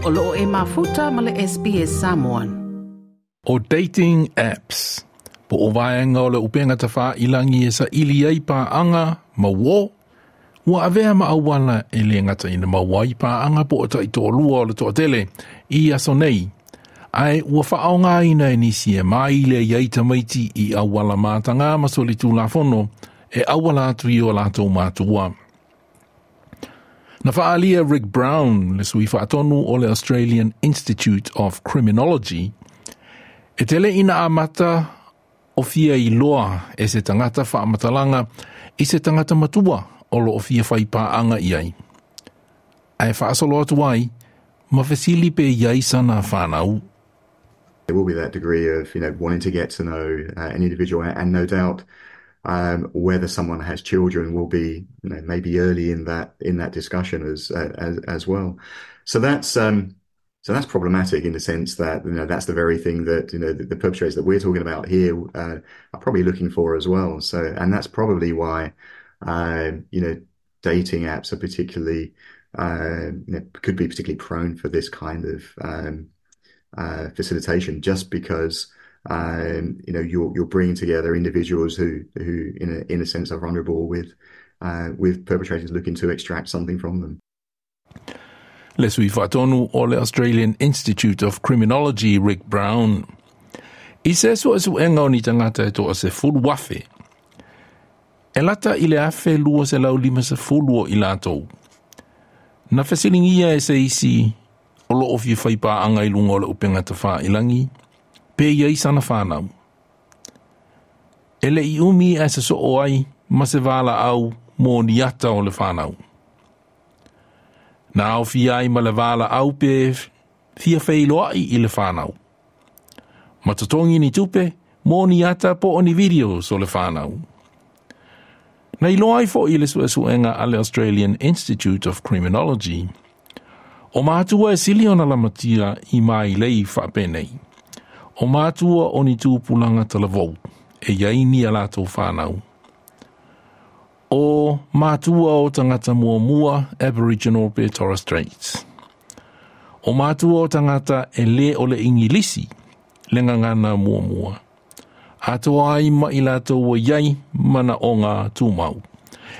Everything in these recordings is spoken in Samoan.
O loo e mafuta ma le SBS Samoan. O dating apps, po o vaega o le upega tafailagi e saili ai paaga ma uō, ua avea ma auala e le gata ina maua ai paaga po o taitoalua o le toatele i aso nei, ae ua faaaogaina e nisi e maile ai tamaiti i auala mataga ma solitulafono e auala atu i o latou matua. Na faaalia Rick Brown, le sui faatonu o le Australian Institute of Criminology, e tele ina amata o fia iloa e se tagata faamatalaga i se tagata matua o lo o fia fai paaga i ai. Ae faasolo atu ai, ma fesili pe i ai sana whanau. There will be that degree of wanting to get to know an individual, and no doubt whether someone has children will be maybe early in that discussion as well. So that's problematic in the sense that that's the very thing that the perpetrators that we're talking about here are probably looking for as well. So and that's probably why dating apps are particularly could be particularly prone for this kind of facilitation, just because you're bringing together individuals who in a sense are vulnerable with perpetrators looking to extract something from them. Le sui faatonu o le Australian Institute of Criminology, Rick Brown. I se suesuega o ni tagata e 10,000. E lata i le 1250 o i latou. Na fesiligia e se isi o lo o fia fai paaga i luga o le upega tafailagi, pe i ai sana whanau. E le i umi e se soo ai ma se valaau mo ni ata o le whanau. Na aofia ai ma le valaau pe fia feiloai i le whanau. Ma totogi ni tupe mo ni ata po o ni videos o le whanau. Na iloa ai fo'i le suesuega a le Australian Institute of Criminology. O matua e sili ona lamatia i mailei faapenei. O matua o ni tupulaga talavou, e iai ni a latou whanau. O matua o tagata muamua Aboriginal pe Torres Straits. O matua o tagata e le o le Ingilisi, le gagana muamua. Atoa ai ma i latou o iai manaoga tumau.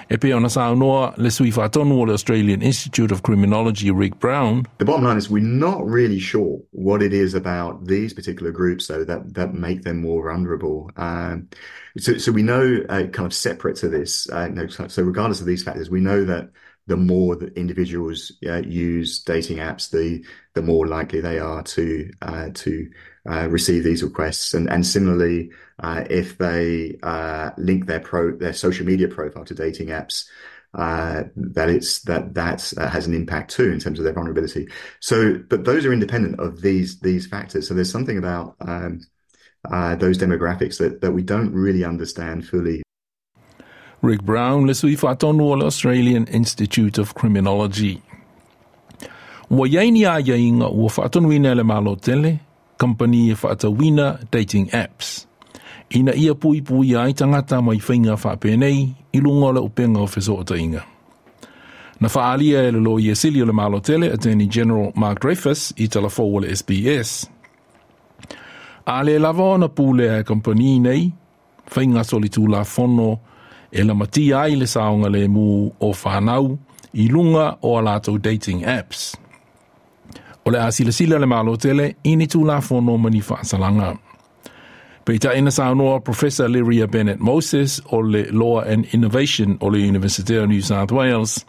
E pei ona saunoa le sui faatonu o le Australian Institute of Criminology, Rick Brown. The bottom line is we're not really sure what it is about these particular groups, though, that make them more vulnerable. So we know, kind of separate to this, no, so regardless of these factors, we know that the more that individuals use dating apps, the more likely they are to receive these requests. And similarly, if they link their social media profile to dating apps, that it's that that has an impact too in terms of their vulnerability. So, but those are independent of these factors. So there's something about those demographics that we don't really understand fully. Rick Brown, le sui faatonu o le Australian Institute of Criminology. Ua iai ni aiaiga ua faatonuina e le Malo tele, kampani e faatauina dating apps. Ina ia puipuia ai tagata mai faiga faapenei i luga o le upega o fesootaiga. Na faaalia e le Loia Sili o le Malo tele, Attorney General Mark Dreyfus, i talafou o le SBS. A le lava ona pulea e kampani nei, faiga solitulafono e lamatia ai le saogalemu o whanau i lunga o a latou dating apps. O le a silasila le Malo tele i ni tulafono ma ni faasalaga. Peitai na saunoa Professor Lyria Bennett Moses o le Law and Innovation o le University of New South Wales,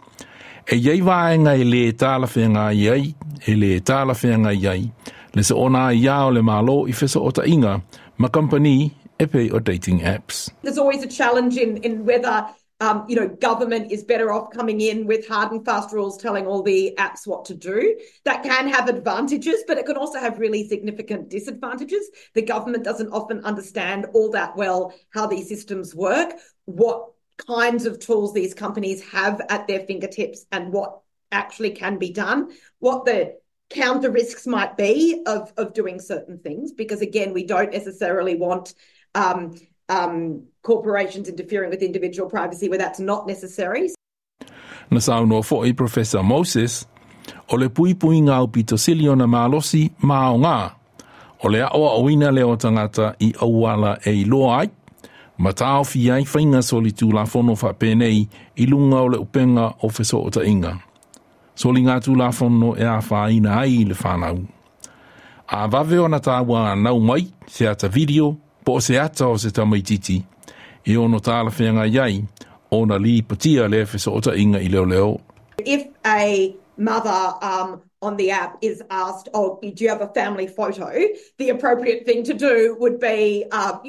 e iai vaega e le talafeagai ai, e le talafeagai ai, le soona aiā o le Malo i fesootaiga ma kampani e pei o dating apps. There's always a challenge in whether government is better off coming in with hard and fast rules telling all the apps what to do. That can have advantages, but it can also have really significant disadvantages. The government doesn't often understand all that well how these systems work, what kinds of tools these companies have at their fingertips and what actually can be done, what the counter risks might be of doing certain things, because again, we don't necessarily want corporations interfering with individual privacy where that's not necessary. Na saunoa fo'i Professor Moses, O le puipuiga aupito sili ona malosi ma aoga, o le aʻoaʻoina lea o tagata i auala e iloa ai ma taofia ai faiga solitulafono faapenei i luga o le upega o fesootaiga. Soligatulafono e afaina ai le fanau. A vave ona tauanau mai se ata video po o se ata o se tamaititi e ono talafeagai ai ona lipotia lea fesootaiga i leoleo. If a mother on the app is asked, oh, do you have a family photo? The appropriate thing to do would be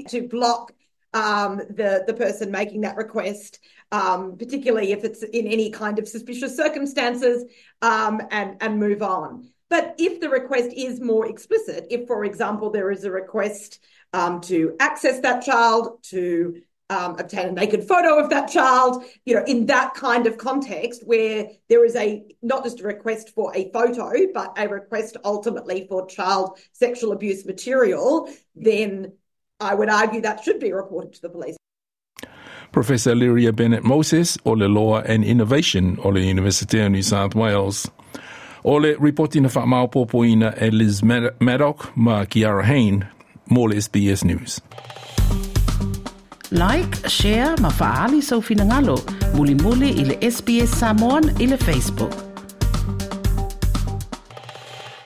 to block the person making that request, particularly if it's in any kind of suspicious circumstances, and move on. But if the request is more explicit, if, for example, there is a request to access that child, to obtain a naked photo of that child, in that kind of context where there is a not just a request for a photo, but a request ultimately for child sexual abuse material, then I would argue that should be reported to the police. Professor Lyria Bennett Moses o le Law and Innovation o le University of New South Wales. O le ripoti na faamaopoopoina e Liz Maddock ma Kiara Hain mo le SBS News. Like, share ma faaali sou finagalo. Mulimuli i le SBS Samoan i le Facebook.